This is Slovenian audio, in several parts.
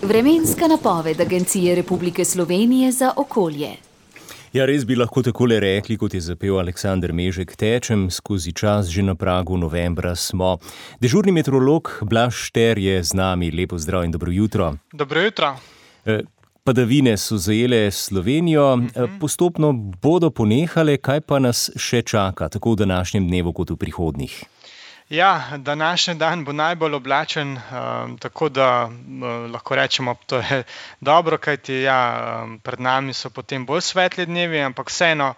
Vremenska napoved Agencije Republike Slovenije za okolje. Ja, res bi lahko takole rekli, kot je zapel Aleksander Mežek, tečem skozi čas, že na pragu novembra smo. Dežurni meteorolog Blaž Šter je z nami. Lepo zdrav in dobro jutro. Dobro jutro. Padavine so zajele Slovenijo, postopno bodo ponehale, kaj pa nas še čaka, tako v današnjem dnevu kot v prihodnjih? Ja, današnji dan bo najbolj oblačen, tako da lahko rečemo, to je dobro, kajti pred nami so potem bolj svetli dnevi, ampak vseeno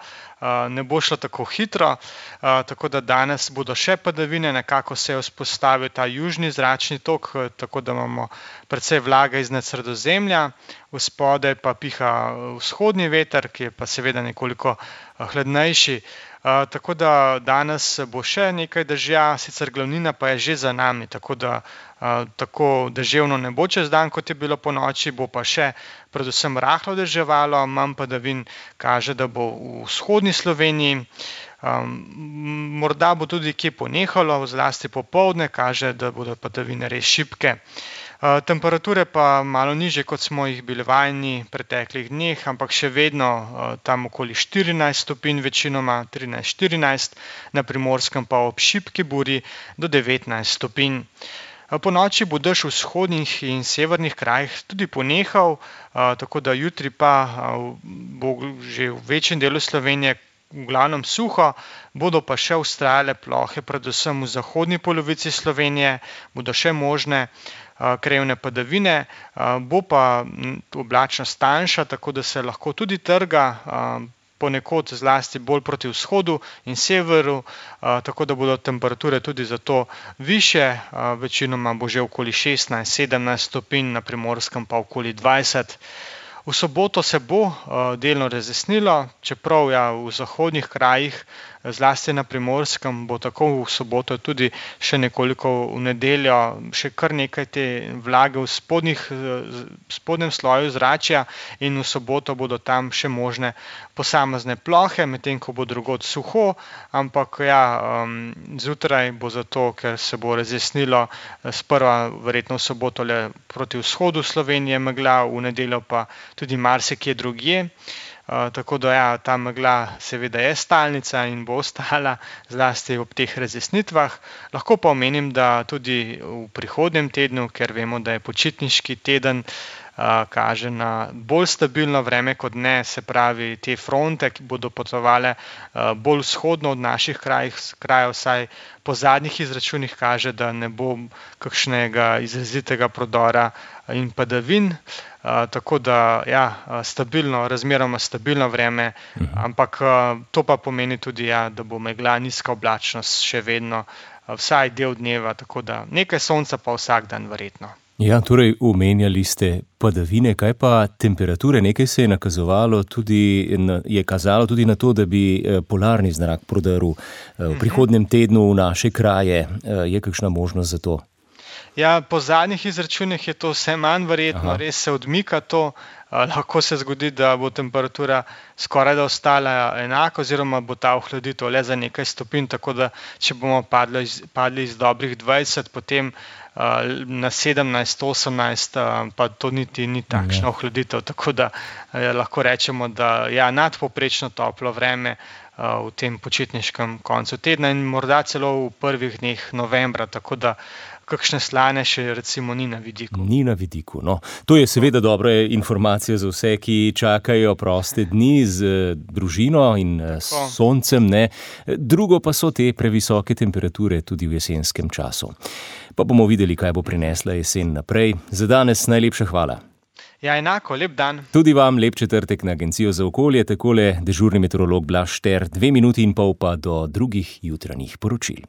ne bo šlo tako hitro, tako da danes bodo še padavine, nekako se je vzpostavil ta južni zračni tok, tako da imamo precej vlage iznad Sredozemlja, vspodaj pa piha vzhodni veter, ki je pa seveda nekoliko hladnejši. Tako da danes bo še nekaj dežja, sicer glavnina pa je že za nami, tako da tako deževno ne bo čez dan, kot je bilo ponoči, bo pa še predvsem rahlo deževalo, manj padavin kaže, da bo v vzhodni Sloveniji. Morda bo tudi kje ponehalo, zlasti popoldne kaže, da bodo padavine res šibke. Temperature pa malo nižje, kot smo jih bili vajeni v preteklih dneh, ampak še vedno tam okoli 14 stopinj, večinoma 13-14, na Primorskem pa ob šibki buri do 19 stopinj. Po noči bo dež v vzhodnih in severnih krajih tudi ponehal, tako da jutri pa bo že v večjem delu Slovenije v glavnem suho, bodo pa še vztrajale plohe, predvsem v zahodni polovici Slovenije, bodo še možne krajevne padavine, bo pa oblačnost tanjša, tako da se lahko tudi trga, ponekod zlasti bolj proti vzhodu in severu, tako da bodo temperature tudi zato višje, večinoma bo že okoli 16-17 stopinj, na Primorskem pa okoli 20. V soboto se bo delno razjasnilo, čeprav v zahodnih krajih, zlasti na Primorskem, bo tako v soboto tudi še nekoliko v nedeljo, še kar nekaj te vlage v spodnjem sloju zračja in v soboto bodo tam še možne posamezne plohe, medtem ko bo drugod suho, ampak zjutraj bo zato, ker se bo razjasnilo, sprva verjetno v soboto le proti vzhodu Slovenije megla, v nedeljo pa tudi marsikje drugje. Tako da ta megla seveda je stalnica in bo ostala zlasti ob teh razjasnitvah. Lahko pa omenim, da tudi v prihodnjem tednu, ker vemo, da je počitniški teden, kaže na bolj stabilno vreme kot ne, se pravi te fronte, ki bodo potovale bolj vzhodno od naših krajev, vsaj po zadnjih izračunih kaže, da ne bo kakšnega izrazitega prodora in padavin, tako da stabilno, razmeroma stabilno vreme, ampak to pa pomeni tudi, da bo megla, nizka oblačnost še vedno vsaj del dneva, tako da nekaj sonca pa vsak dan verjetno. Ja, torej omenjali ste padavine, kaj pa temperature? Nekaj se je kazalo tudi na to, da bi polarni zrak prodrl v prihodnjem tednu v naše kraje. Je kakšna možnost za to? Ja, po zadnjih izračunih je to vse manj verjetno, res se odmika to. Lahko se zgodi, da bo temperatura skoraj da ostala enaka oziroma bo ta ohladitev le za nekaj stopinj, tako da če bomo padli iz dobrih 20, potem na 17-18, pa to niti ni takšna ohladitev, tako da lahko rečemo, da nadpovprečno toplo vreme v tem počitniškem koncu tedna in morda celo v prvih dneh novembra, tako da kakšne slane še recimo ni na vidiku. Ni na vidiku, no. To je seveda dobra informacija za vse, ki čakajo proste dni z družino in s soncem, ne. Drugo pa so te previsoke temperature tudi v jesenskem času. Pa bomo videli, kaj bo prinesla jesen naprej. Za danes najlepša hvala. Ja, enako, lep dan. Tudi vam lep četrtek na Agencijo za okolje, takole dežurni meteorolog Blaž Šter, 2,5 minuti pa do drugih jutranjih poročil.